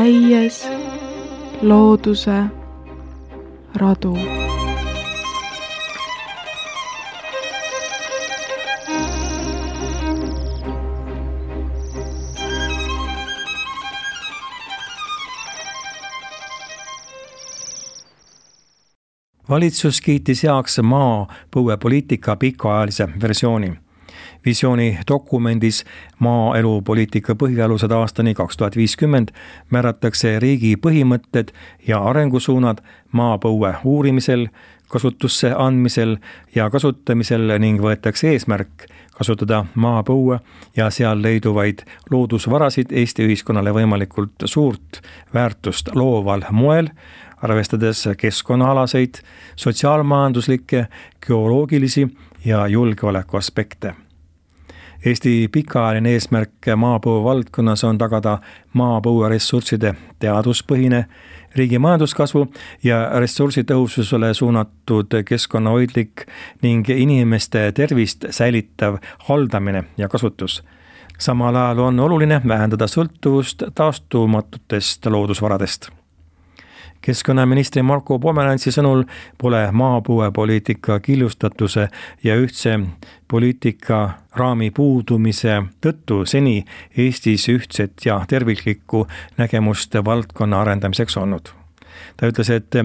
käies looduse radu. Valitsus kiitis heaks maapõuepoliitika pikaajalise versiooni. Visiooni dokumendis maaelupoliitika põhialused aastani 2050 määratakse riigi põhimõtted ja arengusuunad maapõue uurimisel, kasutusse andmisel ja kasutamisel ning võetakse eesmärk kasutada maapõue ja seal leiduvaid loodusvarasid Eesti ühiskonnale võimalikult suurt väärtust looval moel, arvestades keskkonnaalaseid, sotsiaalmajanduslikke, geoloogilisi ja julgeoleku aspekte. Eesti pikaajaline eesmärk maapõue valdkonnas on tagada maapõueressursside teaduspõhine, riigi majanduskasvu ja ressursitõhususele suunatud keskkonnahoidlik ning inimeste tervist säilitav haldamine ja kasutus. Samal ajal on oluline vähendada sõltuvust taastumatutest loodusvaradest. Keskkonnaministri Marko Pomerantsi sõnul pole maapõuepoliitika killustatuse ja ühtse poliitika raami puudumise tõttu seni Eestis ühtset ja terviklikku nägemust valdkonna arendamiseks olnud. Ta ütles, et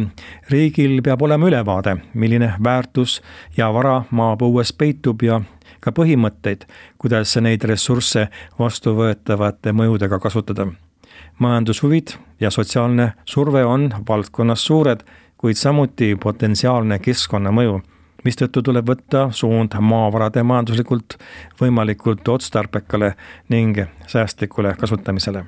riigil peab olema ülevaade, milline väärtus ja vara maapõues peitub ja ka põhimõtteid, kuidas neid ressursse vastuvõetavate mõjudega kasutada. Majandushuvid ja sotsiaalne surve on valdkonnas suured, kuid samuti potentsiaalne keskkonnamõju, mistõttu tuleb võtta suund maavarade majanduslikult võimalikult otstarbekale ning säästlikule kasutamisele.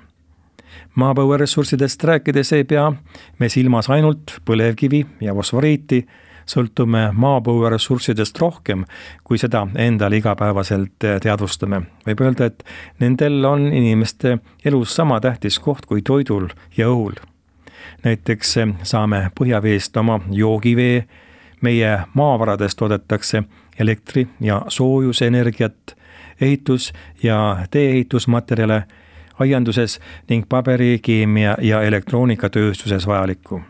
Maapõueressurssidest rääkides ei pea me silmas ainult põlevkivi ja fosforiiti, sõltume maapõueressurssidest rohkem, kui seda endal igapäevaselt teadvustame. Võib öelda, et nendel on inimeste elus sama tähtis koht kui toidul ja õhul. Näiteks saame põhjaveest oma joogivee, meie maavaradest toodetakse elektri- ja soojusenergiat, ehitus- ja tee-ehitusmaterjale, aianduses ning paberi, keemia ja elektroonikatööstuses vajalikku.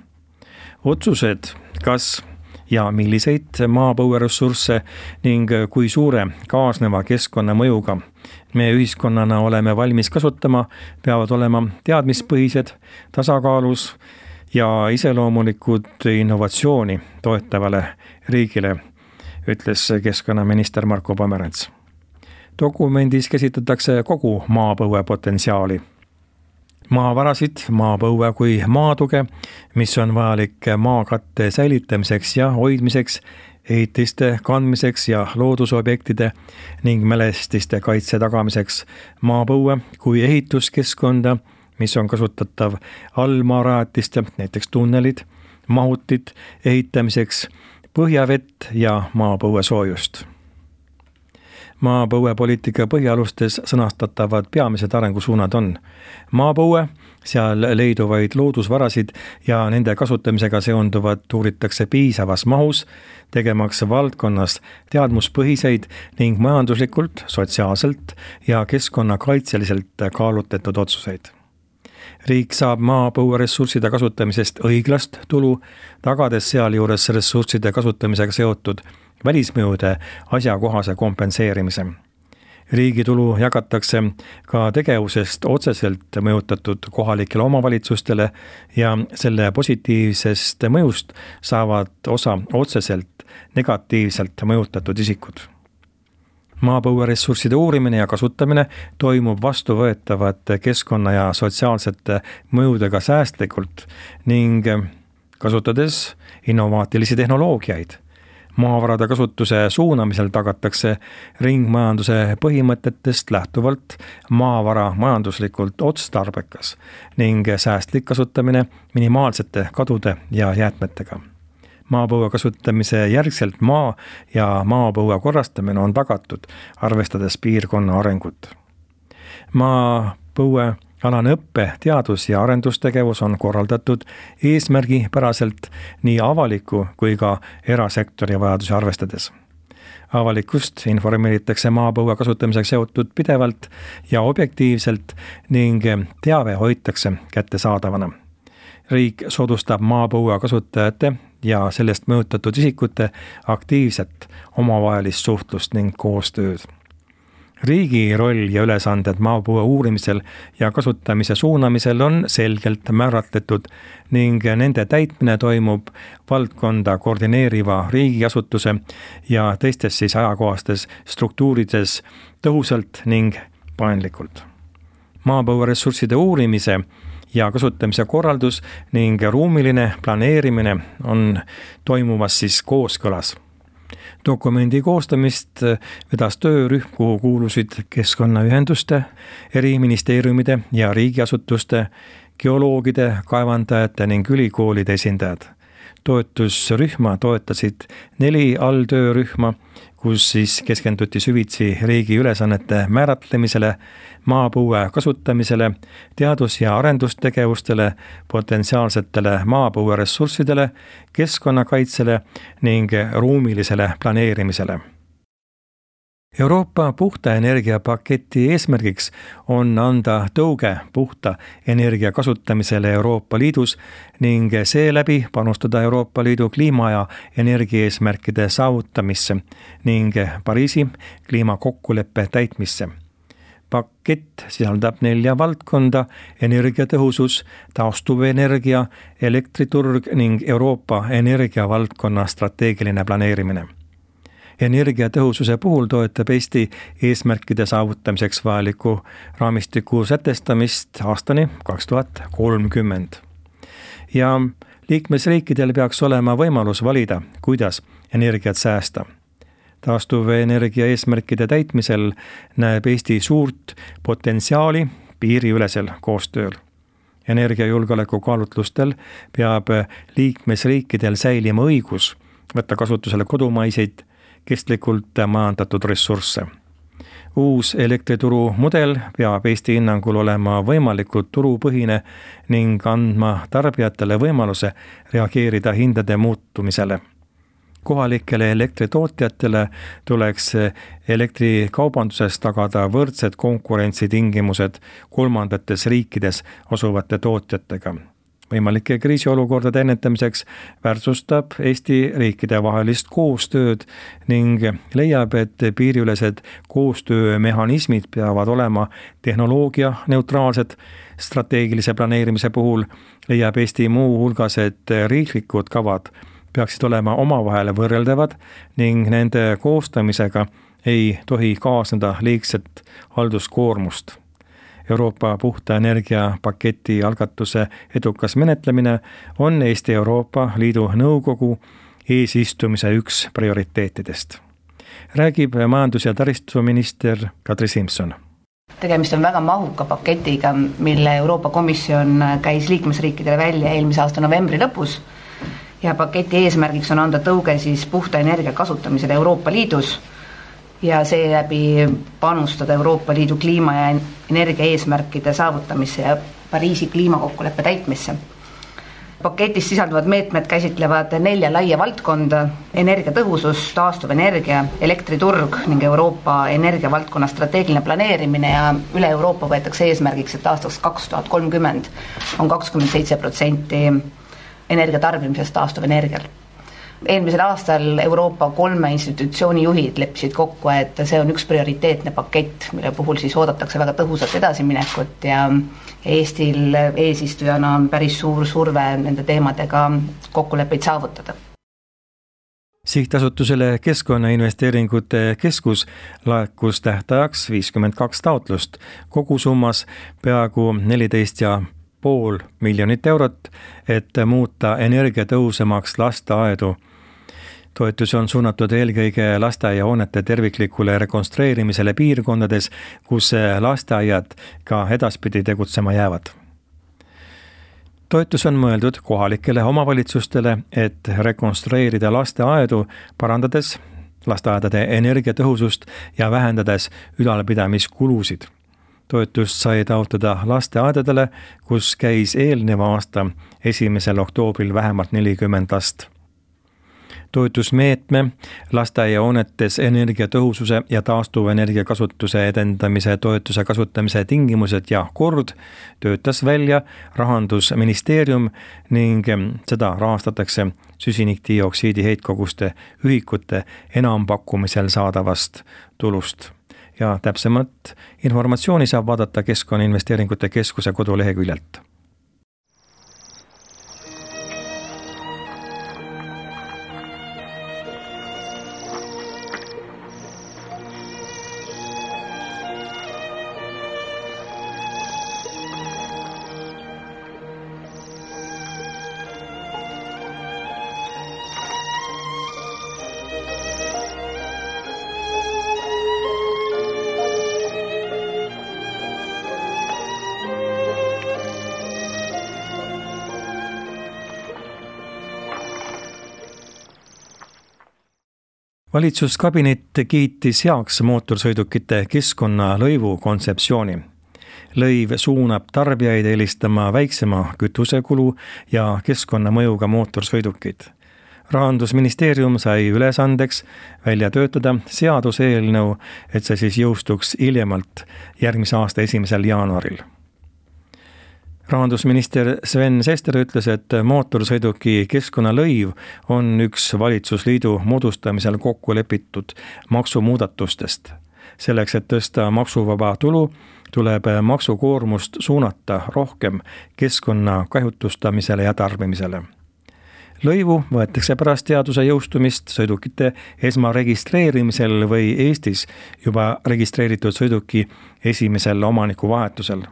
Otsused, kas ja milliseid maapõueressursse ning kui suure kaasneva keskkonnamõjuga me ühiskonnana oleme valmis kasutama, peavad olema teadmispõhised, tasakaalus ja iseloomulikud innovatsiooni toetavale riigile, ütles keskkonnaminister Marko Pomerants. Dokumendis käsitletakse kogu maapõue potentsiaali. Maavarasid, maapõue kui maatuge, mis on vajalik maakatte säilitamiseks ja hoidmiseks, ehitiste kandmiseks ja loodusobjektide ning mälestiste kaitse tagamiseks, maapõue kui ehituskeskkonda, mis on kasutatav allmaarajatiste, näiteks tunnelid, mahutid ehitamiseks, põhjavett ja maapõue soojust. Maapõuepoliitika põhialustes sõnastatavad peamised arengusuunad on maapõue, seal leiduvaid loodusvarasid ja nende kasutamisega seonduvat uuritakse piisavas mahus, tegemaks valdkonnas teadmuspõhiseid ning majanduslikult, sotsiaalselt ja keskkonnakaitseliselt kaalutletud otsuseid. Riik saab maapõueressursside kasutamisest õiglast tulu, tagades sealjuures ressursside kasutamisega seotud välismõjude asjakohase kompenseerimise. Riigi tulu jagatakse ka tegevusest otseselt mõjutatud kohalikele omavalitsustele ja selle positiivsest mõjust saavad osa otseselt negatiivselt mõjutatud isikud. Maapõueressursside uurimine ja kasutamine toimub vastuvõetavate keskkonna ja sotsiaalsete mõjudega säästlikult ning kasutades innovaatilisi tehnoloogiaid. Maavarade kasutuse suunamisel tagatakse ringmajanduse põhimõtetest lähtuvalt maavara majanduslikult otstarbekas ning säästlik kasutamine minimaalsete kadude ja jäätmetega. Maapõue kasutamise järgselt maa ja maapõue korrastamine on tagatud, arvestades piirkonna arengut. Maapõue alane õppe, teadus- ja arendustegevus on korraldatud eesmärgipäraselt nii avaliku kui ka erasektori vajadusi arvestades. Avalikkust informeeritakse maapõue kasutamisega seotud pidevalt ja objektiivselt ning teave hoitakse kättesaadavana. Riik soodustab maapõue kasutajate ja sellest mõjutatud isikute aktiivset omavahelist suhtlust ning koostööd. Riigi roll ja ülesanded maapõue uurimisel ja kasutamise suunamisel on selgelt määratletud ning nende täitmine toimub valdkonda koordineeriva riigiasutuse ja teistes ajakohastes struktuurides tõhusalt ning paindlikult. Maapõue ressursside uurimise ja kasutamise korraldus ning ruumiline planeerimine on toimumas kooskõlas. Dokumendi koostamist vedas töörühm, kuhu kuulusid keskkonnaühenduste, eri ministeeriumide ja riigiasutuste, geoloogide, kaevandajate ning ülikoolide esindajad. Toetusrühma toetasid 4 alltöörühma, kus keskenduti süvitsi riigi ülesannete määratlemisele, maapõue kasutamisele, teadus- ja arendustegevustele, potentsiaalsetele maapõue ressurssidele, keskkonnakaitsele ning ruumilisele planeerimisele. Euroopa puhta energia paketi eesmärgiks on anda tõuge puhta energia kasutamisele Euroopa Liidus ning seeläbi panustada Euroopa Liidu kliima- ja energiaeesmärkide saavutamisse ning Pariisi kliimakokkuleppe täitmisse. Pakett sisaldab 4 valdkonda: energiatõhusus, taastuvenergia, elektriturg ning Euroopa energiavaldkonna strateegiline planeerimine. Energiatõhususe puhul toetab Eesti eesmärkide saavutamiseks vajaliku raamistiku sätestamist aastani 2030. Ja liikmesriikidel peaks olema võimalus valida, kuidas energiat säästa. Taastuvenergia eesmärkide täitmisel näeb Eesti suurt potentsiaali piiriülesel koostööl. Energiajulgeoleku kaalutlustel peab liikmesriikidel säilima õigus võtta kasutusele kodumaiseid kestlikult majandatud ressursse. Uus elektrituru mudel peab Eesti hinnangul olema võimalikult turupõhine ning andma tarbijatele võimaluse reageerida hindade muutumisele. Kohalikele elektritootjatele tuleks elektrikaubanduses tagada võrdsed konkurentsitingimused kolmandates riikides asuvate tootjatega. Võimalike kriisiolukordade ennetamiseks väärtustab Eesti riikide vahelist koostööd ning leiab, et piiriülesed koostöömehhanismid peavad olema tehnoloogia neutraalsed. Strateegilise planeerimise puhul leiab Eesti muu hulgas, et riiklikud kavad peaksid olema omavahel võrreldavad ning nende koostamisega ei tohi kaasneda liigset halduskoormust. Euroopa puhta energia paketi algatuse edukas menetlemine on Eesti Euroopa Liidu Nõukogu eesistumise üks prioriteetidest. Räägib majandus- ja taristuminister Kadri Simson. Tegemist on väga mahuka paketiga, mille Euroopa Komisjon käis liikmesriikidele välja eelmise aasta novembri lõpus ja paketi eesmärgiks on anda tõuge puhta energia kasutamisele Euroopa Liidus ja seeläbi panustada Euroopa Liidu kliima- ja energia eesmärkide saavutamisse ja Pariisi kliimakokkuleppe täitmisse. Paketis sisalduvad meetmed käsitlevad 4 laia valdkonda: energiatõhusus, taastuvenergia, elektriturg ning Euroopa energiavaldkonna strateegiline planeerimine ja üle Euroopa võetakse eesmärgiks, et aastaks 2030 on 27% energiatarbimisest taastuvenergial. Eelmisel aastal Euroopa 3 institutsiooni juhid leppisid kokku, et see on üks prioriteetne pakett, mille puhul oodatakse väga tõhusat edasiminekut ja Eestil eesistujana on päris suur surve nende teemadega kokkuleppeid saavutada. Sihtasutusele Keskkonnainvesteeringute Keskus laekus tähtajaks 52 taotlust, kogusummas peaaegu 14,5 miljonit eurot, et muuta energiatõhusamaks lasteaedu. Toetus on suunatud eelkõige lasteaiahoonete terviklikule rekonstrueerimisele piirkondades, kus lasteaiad ka edaspidi tegutsema jäävad. Toetus on mõeldud kohalikele omavalitsustele, et rekonstrueerida lasteaedu, parandades lasteaedade energiatõhusust ja vähendades ülalpidamiskulusid. Toetust sai taotleda lasteaedadele, kus käis eelneva aasta 1. oktoobril vähemalt 40 last. toetusmeetme lasteaiahoonetes energiatõhususe ja taastuvenergia kasutuse edendamise toetuse kasutamise tingimused ja kord töötas välja Rahandusministeerium ning seda rahastatakse süsinikdioksiidi heitkoguste ühikute enampakkumisel saadavast tulust. Ja täpsemat informatsiooni saab vaadata Keskkonnainvesteeringute Keskuse koduleheküljelt. Valitsuskabinet kiitis heaks mootorsõidukite keskkonnalõivu kontseptsiooni. Lõiv suunab tarbijaid eelistama väiksema kütusekulu ja keskkonnamõjuga mootorsõidukid. Rahandusministeerium sai ülesandeks välja töötada seaduseelnõu, et see siis jõustuks hiljemalt järgmise aasta 1. jaanuaril. Rahandusminister Sven Sester ütles, et mootorsõiduki keskkonnalõiv on üks valitsusliidu moodustamisel kokku lepitud maksumuudatustest. Selleks, et tõsta maksuvaba tulu, tuleb maksukoormust suunata rohkem keskkonna kahjutustamisele ja tarbimisele. Lõivu võetakse pärast seaduse jõustumist sõidukite esmaregistreerimisel või Eestis juba registreeritud sõiduki esimesel omaniku vahetusel.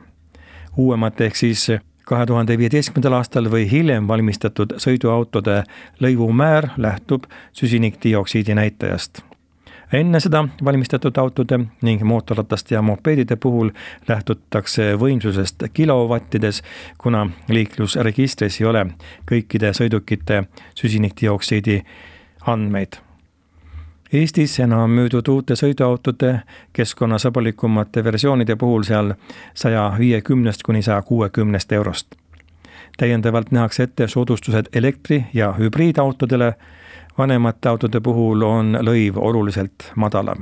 Uuemat ehk siis 2015. aastal või hiljem valmistatud sõiduautode lõivumäär lähtub süsinikdioksiidi näitajast. Enne seda valmistatud autode ning mootorratast ja mopeedide puhul lähtutakse võimsusest kilovattides, kuna liiklusregistris ei ole kõikide sõidukite süsinikdioksiidi andmeid. Eestis enam müüdud uute sõiduautode keskkonnasõbralikumate versioonide puhul seal 150 kuni 160 eurost. Täiendavalt nähakse ette soodustused elektri- ja hübriidautodele, vanemate autode puhul on lõiv oluliselt madalam.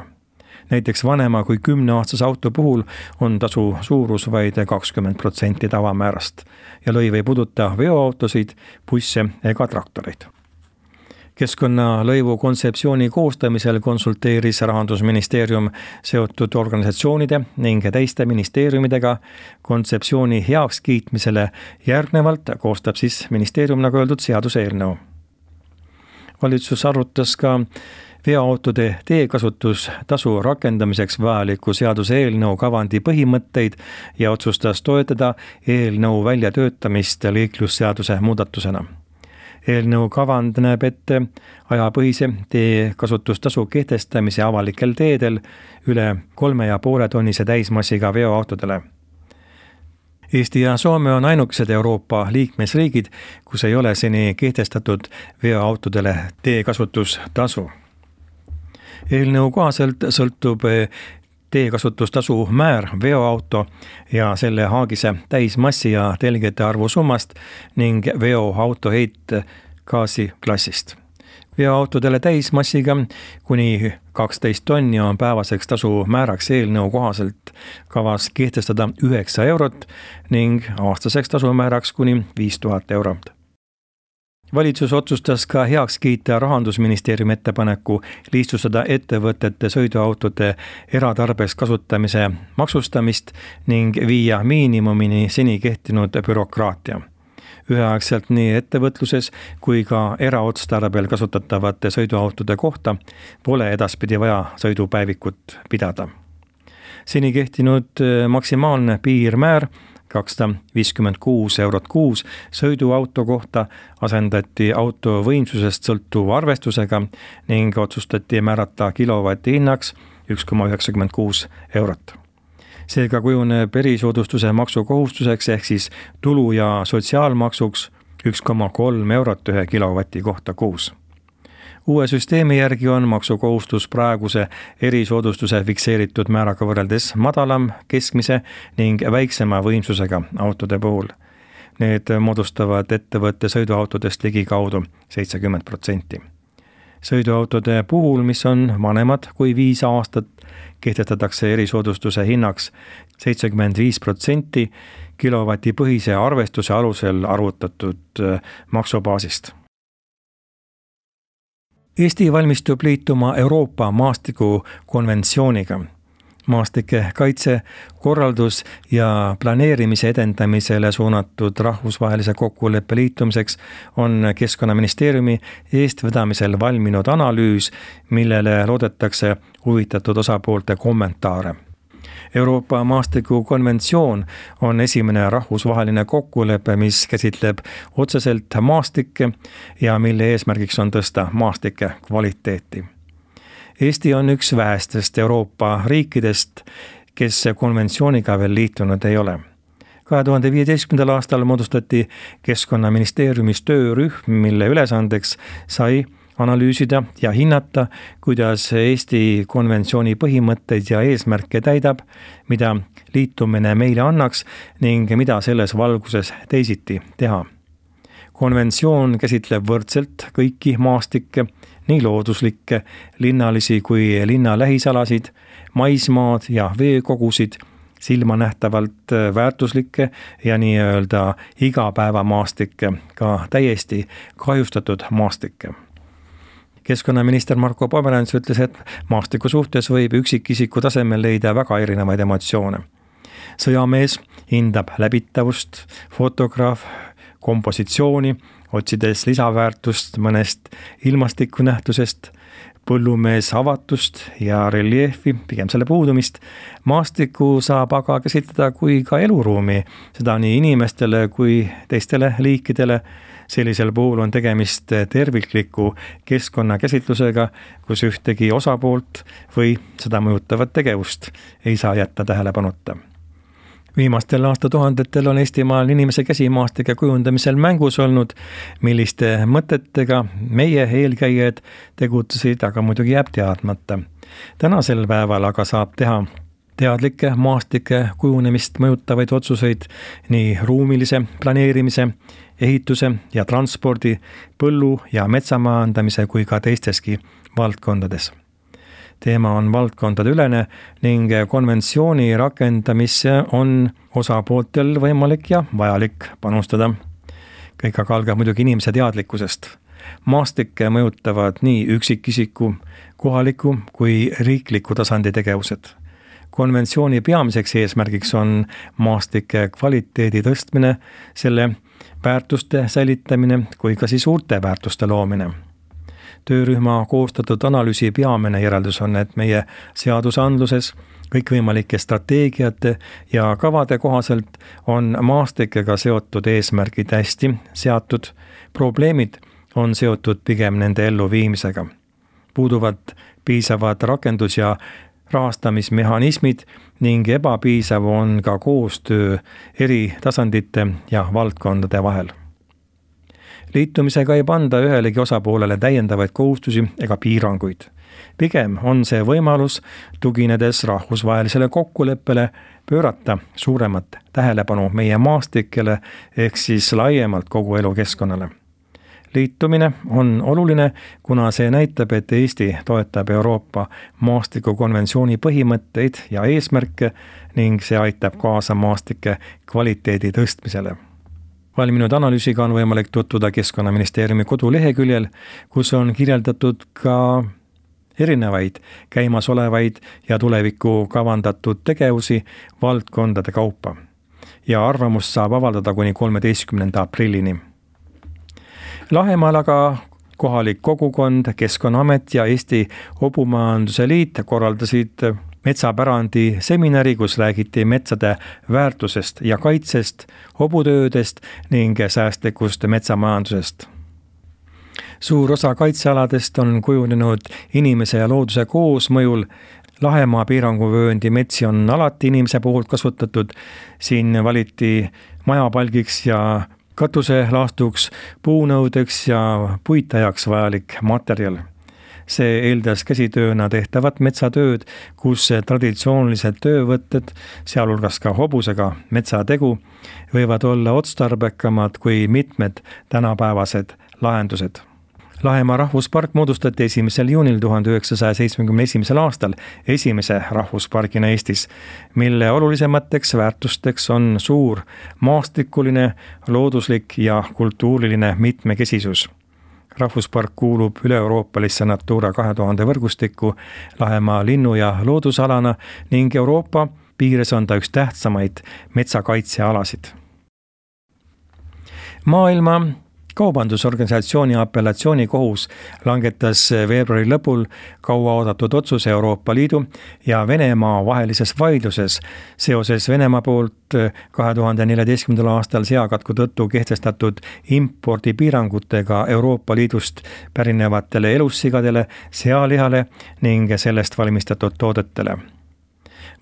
Näiteks vanema kui 10-aastase auto puhul on tasu suurus vaid 20% tavamäärast ja lõiv ei puuduta veoautosid, busse ega traktoreid. Keskkonnalõivu kontseptsiooni koostamisel konsulteeris Rahandusministeerium seotud organisatsioonide ning teiste ministeeriumidega. Kontseptsiooni heakskiitmisele järgnevalt koostab siis ministeerium, nagu öeldud, seaduseelnõu. Valitsus arutas ka veoautode teekasutustasu rakendamiseks vajaliku seaduseelnõu kavandi põhimõtteid ja otsustas toetada eelnõu väljatöötamist liiklusseaduse muudatusena. Eelnõu kavand näeb ette ajapõhise teekasutustasu kehtestamise avalikel teedel üle 3,5 tonnise täismassiga veoautodele. Eesti ja Soome on ainukesed Euroopa liikmesriigid, kus ei ole seni kehtestatud veoautodele teekasutustasu. Eelnõu kohaselt sõltub teekasutustasu määr veoauto ja selle haagise täismassi ja telgede arvu summast ning veoauto heitgaasi klassist. Veoautodele täismassiga kuni 12 tonni on päevaseks tasu määraks eelnõu kohaselt kavas kehtestada 9 eurot ning aastaseks tasu määraks kuni 5000 eurot. Valitsus otsustas ka heaks kiita Rahandusministeeriumi ettepaneku lihtsustada ettevõtete sõiduautode eratarbeks kasutamise maksustamist ning viia miinimumini seni kehtinud bürokraatia. Üheaegselt nii ettevõtluses kui ka eraotstarbel kasutatavate sõiduautode kohta pole edaspidi vaja sõidupäevikut pidada. Seni kehtinud maksimaalne piirmäär 256 eurot kuus sõiduauto kohta asendati auto võimsusest sõltuva arvestusega ning otsustati määrata kilovati hinnaks 1,96 eurot. Seega kujuneb erisoodustuse maksukohustuseks ehk siis tulu- ja sotsiaalmaksuks 1,3 eurot 1 kilovati kohta kuus. Uue süsteemi järgi on maksukohustus praeguse erisoodustuse fikseeritud määraga võrreldes madalam, keskmise ning väiksema võimsusega autode puhul. Need moodustavad ettevõtte sõiduautodest ligikaudu 70%. Sõiduautode puhul, mis on vanemad kui 5 aastat, kehtestatakse erisoodustuse hinnaks 75% kilovatipõhise arvestuse alusel arvutatud maksubaasist. Eesti valmistub liituma Euroopa maastikukonventsiooniga. Maastike kaitse, korraldus ja planeerimise edendamisele suunatud rahvusvahelise kokkuleppe liitumiseks on Keskkonnaministeeriumi eestvedamisel valminud analüüs, millele loodetakse huvitatud osapoolte kommentaare. Euroopa maastikukonventsioon on esimene rahvusvaheline kokkulepe, mis käsitleb otseselt maastikke ja mille eesmärgiks on tõsta maastike kvaliteeti. Eesti on üks vähestest Euroopa riikidest, kes konventsiooniga veel liitunud ei ole. 2015. aastal moodustati Keskkonnaministeeriumis töörühm, mille ülesandeks sai analüüsida ja hinnata, kuidas Eesti konventsiooni põhimõtteid ja eesmärke täidab, mida liitumine meile annaks ning mida selles valguses teisiti teha. Konventsioon käsitleb võrdselt kõiki maastikke, nii looduslikke, linnalisi kui linna lähisalasid, maismaad ja veekogusid, silmanähtavalt väärtuslikke ja nii-öelda igapäevamaastikke, ka täiesti kahjustatud maastikke. Keskkonnaminister Marko Pomerants ütles, et maastiku suhtes võib üksikisiku tasemel leida väga erinevaid emotsioone. Sõjamees hindab läbitavust, fotograaf kompositsiooni, otsides lisaväärtust mõnest ilmastikunähtusest, põllumees avatust ja reljeefi, pigem selle puudumist. Maastiku saab aga käsitleda kui ka eluruumi, seda nii inimestele kui teistele liikidele. Sellisel puhul on tegemist tervikliku keskkonnakäsitlusega, kus ühtegi osapoolt või seda mõjutavat tegevust ei saa jätta tähelepanuta. Viimastel aastatuhandetel on Eestimaal inimese käsi maastike kujundamisel mängus olnud, milliste mõtetega meie eelkäijad tegutsesid, aga muidugi jääb teadmata. Tänasel päeval aga saab teha teadlikke maastike kujunemist mõjutavaid otsuseid nii ruumilise planeerimise, ehituse ja transpordi, põllu- ja metsamajandamise kui ka teisteski valdkondades. Teema on valdkondadeülene ning konventsiooni rakendamisse on osapooltel võimalik ja vajalik panustada. Kõik aga algab muidugi inimese teadlikkusest. Maastikke mõjutavad nii üksikisiku, kohaliku kui riikliku tasandi tegevused. Konventsiooni peamiseks eesmärgiks on maastike kvaliteedi tõstmine, selle väärtuste säilitamine kui ka siis uute väärtuste loomine. Töörühma koostatud analüüsi peamine järeldus on, et meie seadusandluses kõikvõimalike strateegiate ja kavade kohaselt on maastikega seotud eesmärgid hästi seatud, probleemid on seotud pigem nende elluviimisega. Puuduvad piisavad rakendus- ja rahastamismehhanismid ning ebapiisav on ka koostöö eri tasandite ja valdkondade vahel. Liitumisega ei panda ühelegi osapoolele täiendavaid kohustusi ega piiranguid. Pigem on see võimalus, tuginedes rahvusvahelisele kokkuleppele, pöörata suuremat tähelepanu meie maastikele ehk siis laiemalt kogu elukeskkonnale. Liitumine on oluline, kuna see näitab, et Eesti toetab Euroopa maastikukonventsiooni põhimõtteid ja eesmärke ning see aitab kaasa maastike kvaliteedi tõstmisele. Valminud analüüsiga on võimalik tutvuda Keskkonnaministeeriumi koduleheküljel, kus on kirjeldatud ka erinevaid käimasolevaid ja tulevikku kavandatud tegevusi valdkondade kaupa. Ja arvamust saab avaldada kuni 13. aprillini. Lahemaal aga kohalik kogukond, Keskkonnaamet ja Eesti Hobumajanduse Liit korraldasid metsapärandi seminari, kus räägiti metsade väärtusest ja kaitsest, hobutöödest ning säästlikust metsamajandusest. Suur osa kaitsealadest on kujunenud inimese ja looduse koosmõjul. Lahemaa piiranguvööndi metsi on alati inimese poolt kasutatud. Siin valiti majapalgiks ja katuselaastuks, puunõudeks ja puitajaks vajalik materjal. See eeldas käsitööna tehtavat metsatööd, kus traditsioonilised töövõtted, sealhulgas ka hobusega metsategu, võivad olla otstarbekamad kui mitmed tänapäevased lahendused. Lahemaa rahvuspark moodustati 1. juunil 1971. aastal esimese rahvuspargina Eestis, mille olulisemateks väärtusteks on suur maastikuline, looduslik ja kultuuriline mitmekesisus. Rahvuspark kuulub üle-euroopalisse Natura 2000 võrgustikku Lahemaa linnu- ja loodusalana ning Euroopa piires on ta üks tähtsamaid metsakaitsealasid. Maailma Kaubandusorganisatsiooni apellatsioonikohus langetas veebruari lõpul kauaoodatud otsuse Euroopa Liidu ja Venemaa vahelises vaidluses seoses Venemaa poolt 2014. aastal seakatku tõttu kehtestatud impordipiirangutega Euroopa Liidust pärinevatele elussigadele, sealihale ning sellest valmistatud toodetele.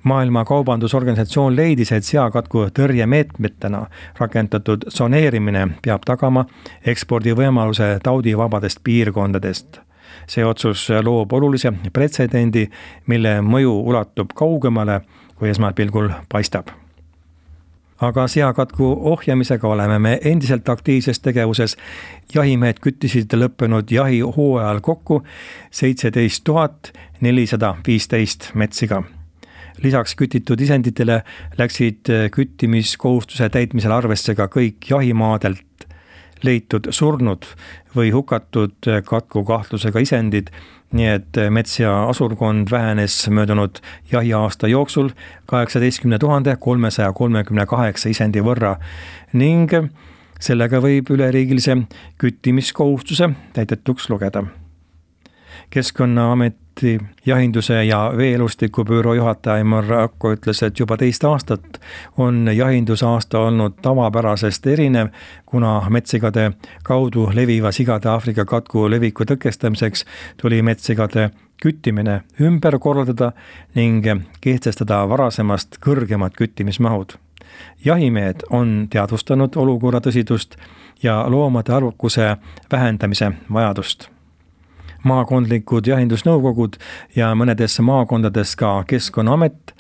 Maailma Kaubandusorganisatsioon leidis, et seakatku tõrjemeetmetena rakendatud soneerimine peab tagama ekspordivõimaluse taudivabadest piirkondadest. See otsus loob olulise pretsedendi, mille mõju ulatub kaugemale, kui esmapilgul paistab. Aga seakatku ohjamisega oleme me endiselt aktiivses tegevuses. Jahimehed küttisid lõppenud jahihooajal kokku 17 415 metsiga. Lisaks kütitud isenditele läksid küttimiskohustuse täitmisel arvesse ka kõik jahimaadelt leitud surnud või hukatud katku kahtlusega isendid, nii et mets- ja asurkond vähenes möödunud jahiaasta jooksul 18 338 isendi võrra ning sellega võib üleriigilise küttimiskohustuse täidetuks lugeda. Keskkonnaameti jahinduse ja veeelustiku büroo juhataja Aimar Akko ütles, et juba teist aastat on jahindusaasta olnud tavapärasest erinev, kuna metsigade kaudu leviva sigade Aafrika katku leviku tõkestamiseks tuli metsigade küttimine ümber korraldada ning kehtestada varasemast kõrgemad küttimismahud. Jahimehed on teadvustanud olukorra tõsidust ja loomade arvukuse vähendamise vajadust. Maakondlikud jahindusnõukogud ja mõnedes maakondades ka Keskkonnaamet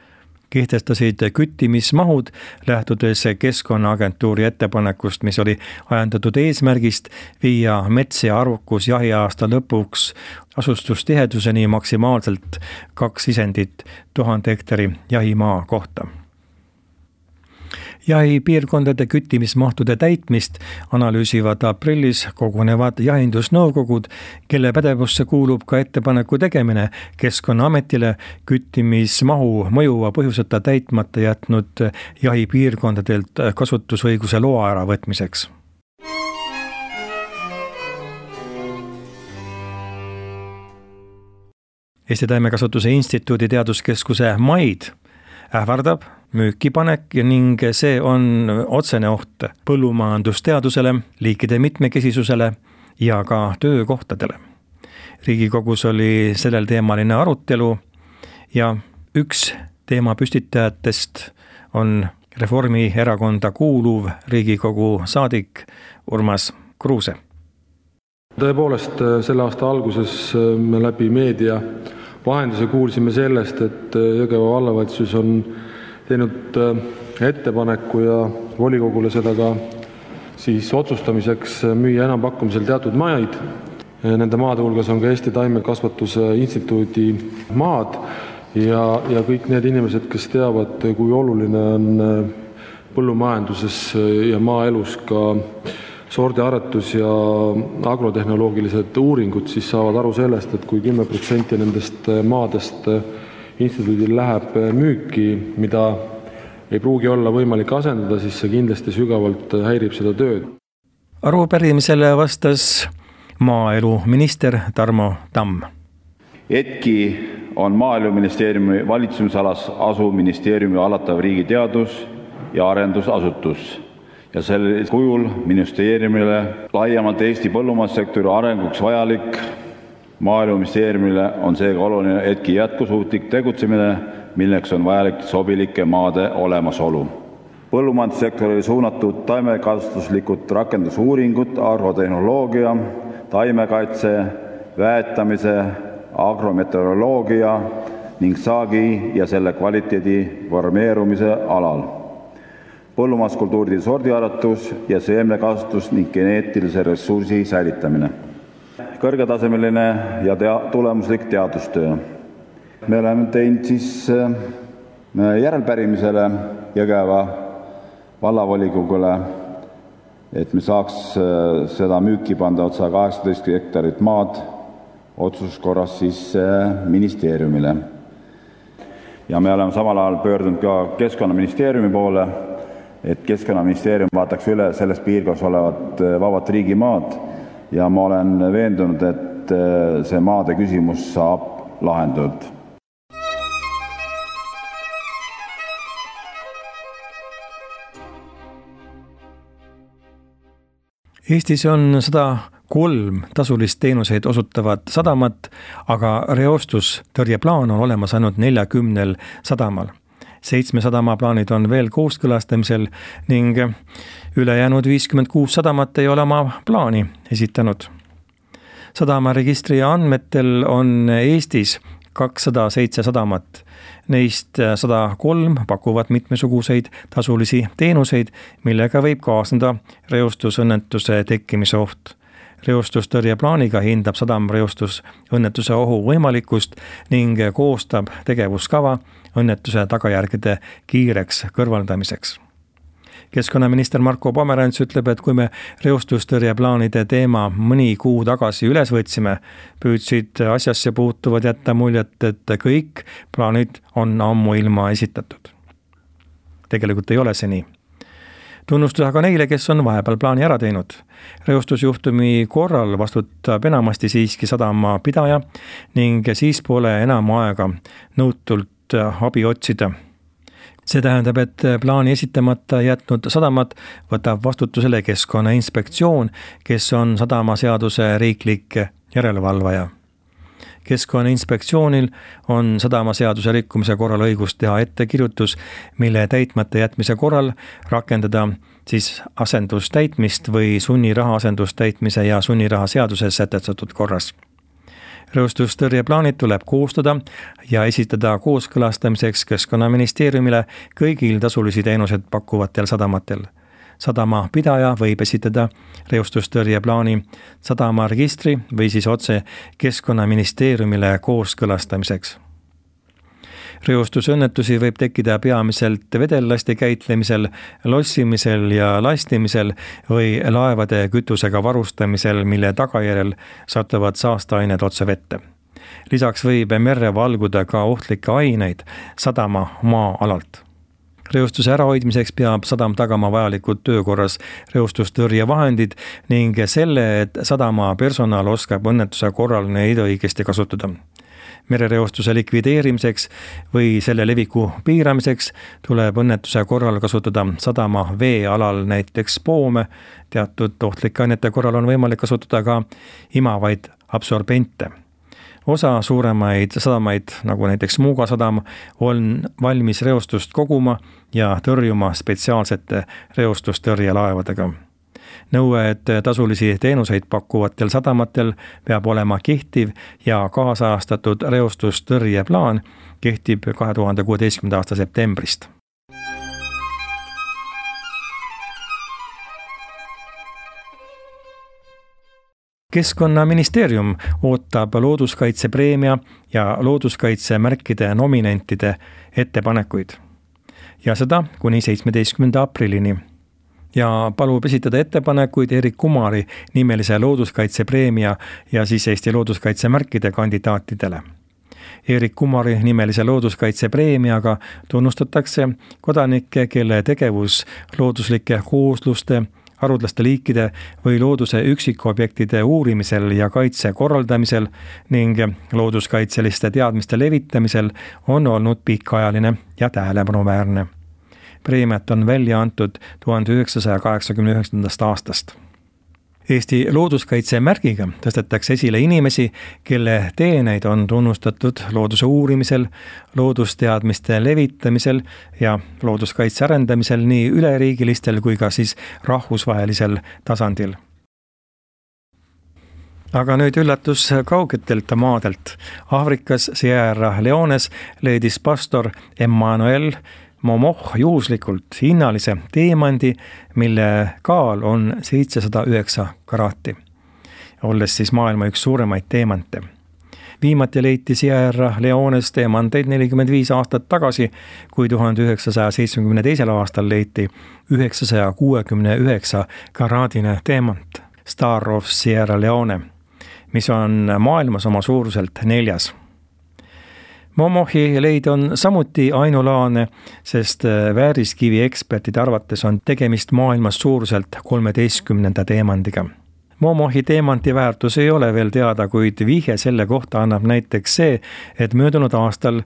kehtestasid küttimismahud lähtudes Keskkonnaagentuuri ettepanekust, mis oli ajendatud eesmärgist viia mets ja arvukus jahiaasta lõpuks asustustiheduseni maksimaalselt 2 isendit 1000 hektari jahimaa kohta. Jahipiirkondade küttimismahtude täitmist analüüsivad aprillis kogunevad jahindusnõukogud, kelle pädevusse kuulub ka ettepaneku tegemine Keskkonnaametile küttimismahu mõjuva põhjuseta täitmata jätnud jahipiirkondadelt kasutusõiguse loa äravõtmiseks. Eesti Taimekasvatuse Instituudi teaduskeskuse MAID ähvardab müükipanek ning see on otsene oht põllumajandusteadusele, liikide mitmekesisusele ja ka töökohtadele. Riigikogus oli sellel teemaline arutelu ja üks teema püstitajatest on Reformierakonda kuuluv Riigikogu saadik Urmas Kruuse. Tõepoolest, selle aasta alguses me läbi meedia vahenduse kuulsime sellest, et Jõgeva vallavalitsus on teinud ettepaneku ja volikogule seda ka siis otsustamiseks müüa enampakkumisel teatud maid. Nende maade hulgas on ka Eesti Taimekasvatuse Instituudi maad ja kõik need inimesed, kes teavad, kui oluline on põllumajanduses ja maaelus ka sordiaretus ja agrotehnoloogilised uuringud, siis saavad aru sellest, et kui 10% nendest maadest instituudil läheb müüki, mida ei pruugi olla võimalik asendada, siis see kindlasti sügavalt häirib seda tööd. Arupärimisele vastas maaeluminister Tarmo Tamm. ETKI on Maaeluministeeriumi valitsemisalas asuv ministeeriumi hallatav riigi teadus- ja arendusasutus ja sel kujul ministeeriumile laiemalt Eesti põllumajandussektori arenguks vajalik. Maaeluministeeriumile on seega oluline ETKI jätkusuutlik tegutsemine, milleks on vajalik sobilike maade olemasolu. Põllumajandussektorile suunatud taimekasvatuslikud rakendusuuringud, agrotehnoloogia, taimekaitse, väetamise, agrometeoroloogia ning saagi ja selle kvaliteedi formeerumise alal. Põllumajanduskultuuride sordiaretus ja seemnekasvatus ning geneetilise ressursi säilitamine. kõrgetasemeline ja tulemuslik teadustöö. Me oleme teinud siis järelpärimisele Jõgeva vallavolikogule, et me saaks seda müüki panda otsa 18 hektarit maad otsuskorras siis ministeeriumile. Ja me oleme samal ajal pöördunud ka Keskkonnaministeeriumi poole, et Keskkonnaministeerium vaataks üle selles piirkonnas olevat vabad riigimaad ja ma olen veendunud, et see maade küsimus saab lahendatud. Eestis on 103 tasulist teenuseid osutavat sadamat, aga reostustõrjeplaan on olemas ainult 40 sadamal. 7 sadama plaanid on veel kooskõlastamisel ning ülejäänud 56 sadamat ei ole oma plaani esitanud. Sadamaregistri andmetel on Eestis 207 sadamat. Neist 103 pakuvad mitmesuguseid tasulisi teenuseid, millega võib kaasneda reostusõnnetuse tekkimise oht. Reostustõrjeplaaniga hindab sadam reostusõnnetuse ohu võimalikkust ning koostab tegevuskava õnnetuse tagajärgede kiireks kõrvaldamiseks. Keskkonnaminister Marko Pomerants ütleb, et kui me reostustõrjeplaanide teema mõni kuu tagasi üles võtsime, püüdsid asjasse puutuvad jätta muljet, et kõik plaanid on ammuilma esitatud. Tegelikult ei ole see nii. Tunnustus aga neile, kes on vahepeal plaani ära teinud. Reostusjuhtumi korral vastutab enamasti siiski sadama pidaja ning siis pole enam aega nõutult abi otsida. See tähendab, et plaani esitamata jätnud sadamat võtab vastutusele Keskkonnainspektsioon, kes on sadamaseaduse riiklik järelevalvaja. Keskkonnainspektsioonil on sadamaseaduse rikkumise korral õigus teha ettekirjutus, mille täitmata jätmise korral rakendada siis asendustäitmist või sunniraha asendustäitmise ja sunniraha seaduses sätestatud korras. Reostustõrjeplaanid tuleb koostada ja esitada kooskõlastamiseks Keskkonnaministeeriumile kõigil tasulisi teenused pakkuvatel sadamatel. Sadama pidaja võib esitada reostustõrjeplaani sadamaregistri või siis otse Keskkonnaministeeriumile kooskõlastamiseks. Reostusõnnetusi võib tekkida peamiselt vedellasti käitlemisel, lossimisel ja lastimisel või laevade kütusega varustamisel, mille tagajärjel satuvad saasteained otse vette. Lisaks võib merre valguda ka ohtlikke aineid sadama maa-alalt. Reostuse ärahoidmiseks peab sadam tagama vajalikud töökorras reostustõrjevahendid ning selle, et sadama personal oskab õnnetuse korral neid õigesti kasutada. Merereostuse likvideerimiseks või selle leviku piiramiseks tuleb õnnetuse korral kasutada sadama veealal näiteks poome. Teatud ohtlike ainete korral on võimalik kasutada ka imavaid absorbente. Osa suuremaid sadamaid, nagu näiteks Muuga sadam, on valmis reostust koguma ja tõrjuma spetsiaalsete reostustõrjelaevadega. Nõue, et tasulisi teenuseid pakkuvatel sadamatel peab olema kehtiv ja kaasajastatud reostustõrjeplaan, kehtib 2016. aasta septembrist. Keskkonnaministeerium ootab looduskaitsepreemia ja looduskaitsemärkide nominentide ettepanekuid. Ja seda kuni 17. aprillini. Ja palub esitada ettepanekuid Erik Kumari nimelise looduskaitsepreemia ja siis Eesti looduskaitsemärkide kandidaatidele. Erik Kumari nimelise looduskaitsepreemiaga tunnustatakse kodanikke, kelle tegevus looduslike koosluste, haruldaste liikide või looduse üksikobjektide uurimisel ja kaitse korraldamisel ning looduskaitseliste teadmiste levitamisel on olnud pikaajaline ja tähelepanuväärne. Preemiat on välja antud 1989. aastast. Eesti looduskaitsemärgiga tõstetakse esile inimesi, kelle teeneid on tunnustatud looduse uurimisel, loodusteadmiste levitamisel ja looduskaitse arendamisel nii üleriigilistel kui ka siis rahvusvahelisel tasandil. Aga nüüd üllatus kaugetelt maadelt. Aafrikas Sierra Leones leidis pastor Emmanuel Momoh juhuslikult hinnalise teemandi, mille kaal on 709 karaati. olles siis maailma üks suuremaid teemante. Viimati leiti Sierra Leones teemanteid 45 aastat tagasi, kui 1972. aastal leiti 969 karaadine teemant Star of Sierra Leone, mis on maailmas oma suuruselt 4. Momohi leid on samuti ainulaadne, sest vääriskivi ekspertide arvates on tegemist maailmas suuruselt 13. teemandiga. Momohi teemanti väärtus ei ole veel teada, kuid vihje selle kohta annab näiteks see, et möödunud aastal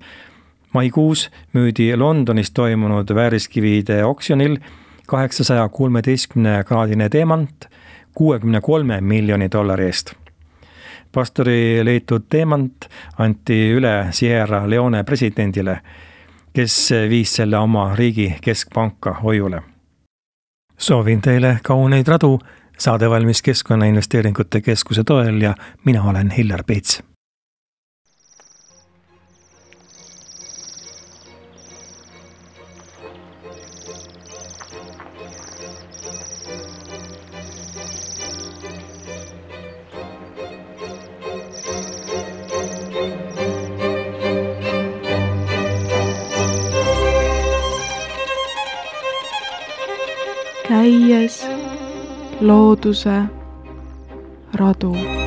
maikuus müüdi Londonis toimunud vääriskivide oksjonil 813-kraadine teemant $63 miljoni eest. Pastori leitud teemant anti üle Sierra Leone presidendile, kes viis selle oma riigi keskpanka hoiule. Soovin teile kauneid radu, saade valmis Keskkonnainvesteeringute Keskuse toel ja mina olen Hillar Peets. Käies looduse radu.